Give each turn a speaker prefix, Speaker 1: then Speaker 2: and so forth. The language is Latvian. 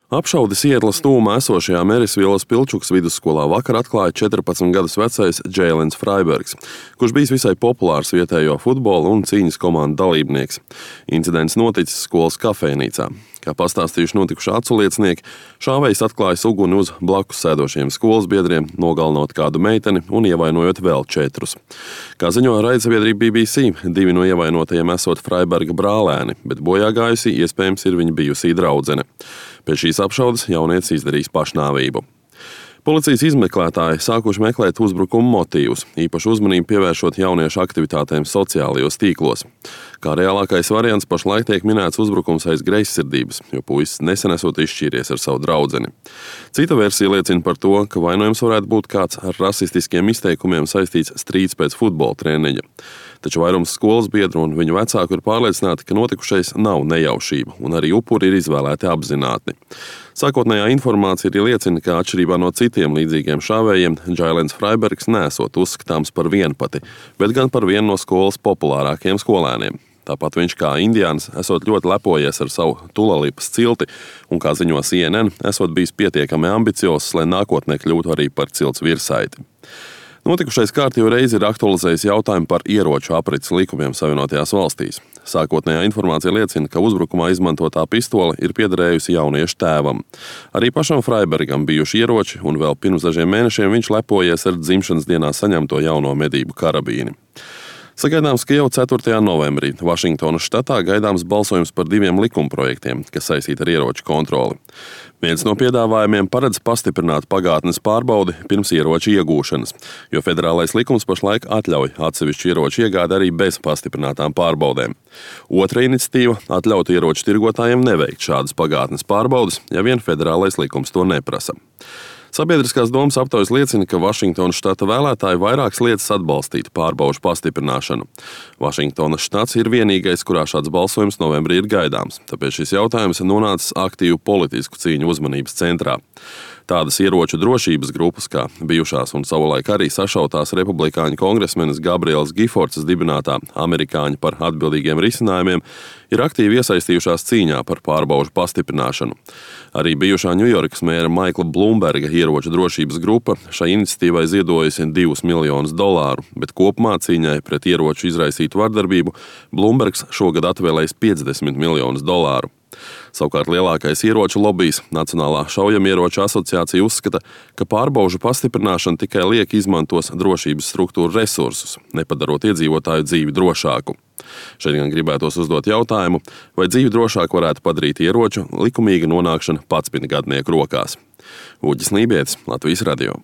Speaker 1: Apšaudes ietlas tūmā esošajā Merisvielas Pilčukas vidusskolā vakar atklāja 14 gadus vecais Džēlins Fraibergs, kurš bijis visai populārs vietējo futbola un cīņas komandu dalībnieks. Incidents noticis skolas kafejnīcā. Kā pastāstījuši notikušā aculiecinieki, šāvējs atklājis uguni uz blakus sēdošiem skolas biedriem, nogalinot kādu meiteni un ievainojot vēl 4. Kā ziņo raidsabiedrība BBC, 2 no ievainotajiem esot Fraiberga brālēni, bet bojāgājusī iespējams ir viņa bijusī draudzene. Pēc šīs apšaudes jaunietis izdarījis pašnāvību. Policijas izmeklētāji sākuši meklēt uzbrukuma motīvus, īpaši uzmanību pievēršot jauniešu aktivitātēm sociālajos tīklos. Kā reālākais variants pašlaik tiek minēts uzbrukums aiz greizsirdības, jo puisis nesen esot izšķīries ar savu draudzeni. Cita versija liecina par to, ka vainojums varētu būt kāds ar rasistiskiem izteikumiem saistīts strīds pēc futbola treniņa. Taču vairums skolas biedru un viņu vecāku ir pārliecināti, ka notikušais nav nejaušība, un arī upuri ir izvēlēti apzināti. Sākotnējā informācija arī liecina, ka atšķirībā no citiem līdzīgiem šāvējiem, Džēlins Fraibergs nesot uzskatāms par vienpati, bet gan par vienu no skolas populārākajiem skolēniem. Tāpat viņš kā indiāns esot ļoti lepojies ar savu Tulalipas cilti un, kā ziņo CNN, esot bijis pietiekami ambiciozs, lai nākotnē kļūtu arī par cilts virsaiti. Notikušais kārtību reizi ir aktualizējis jautājumu par ieroču aprits likumiem Savienotajās valstīs. Sākotnējā informācija liecina, ka uzbrukumā izmantotā pistole ir piederējusi jauniešu tēvam. Arī pašam Fraibergam bijuši ieroči, un vēl pirms dažiem mēnešiem viņš lepojies ar dzimšanas dienā saņemto jauno medību karabīni. Sagaidāms, ka jau 4. novembrī Vašingtonas štatā gaidāms balsojums par 2 likumprojektiem, kas saistīti ar ieroču kontroli. Viens no piedāvājumiem paredz pastiprināt pagātnes pārbaudi pirms ieroču iegūšanas, jo federālais likums pašlaik atļauj atsevišķu ieroču iegādi arī bez pastiprinātām pārbaudēm. Otra iniciatīva atļautu ieroču tirgotājiem neveikt šādas pagātnes pārbaudes, ja vien federālais likums to neprasa. Sabiedriskās domas aptaujas liecina, ka Vašingtonas štata vēlētāji vairākas lietas atbalstītu pārbaužu pastiprināšanu. Vašingtonas štats ir vienīgais, kurā šāds balsojums novembrī ir gaidāms, tāpēc šis jautājums ir nonācis aktīvu politisku cīņu uzmanības centrā. Tādas ieroču drošības grupas, kā bijušās un savulaik arī sašautās republikāņu kongresmenes Gabrielas Gifortsas dibinātā Amerikāņi par atbildīgiem risinājumiem, ir aktīvi iesaistījušās cīņā par pārbaužu pastiprināšanu. Arī bijušā Ņujorkas mēra Maikla Blumberga ieroču drošības grupa šai iniciatīvai ziedojusi $2 miljonus, bet kopumā cīņai pret ieroču izraisītu vardarbību Blumbergs šogad atvēlējis $50 miljonus. Savukārt lielākais ieroču lobijs, Nacionālā šaujamieroču asociācija, uzskata, ka pārbaužu pastiprināšana tikai liek izmantos drošības struktūru resursus, nepadarot iedzīvotāju dzīvi drošāku. Šeit gan gribētos uzdot jautājumu, vai dzīvi drošāku varētu padarīt ieroču likumīga nonākšana 11 gadnieku rokās. Uģis Lībietis, Latvijas radio.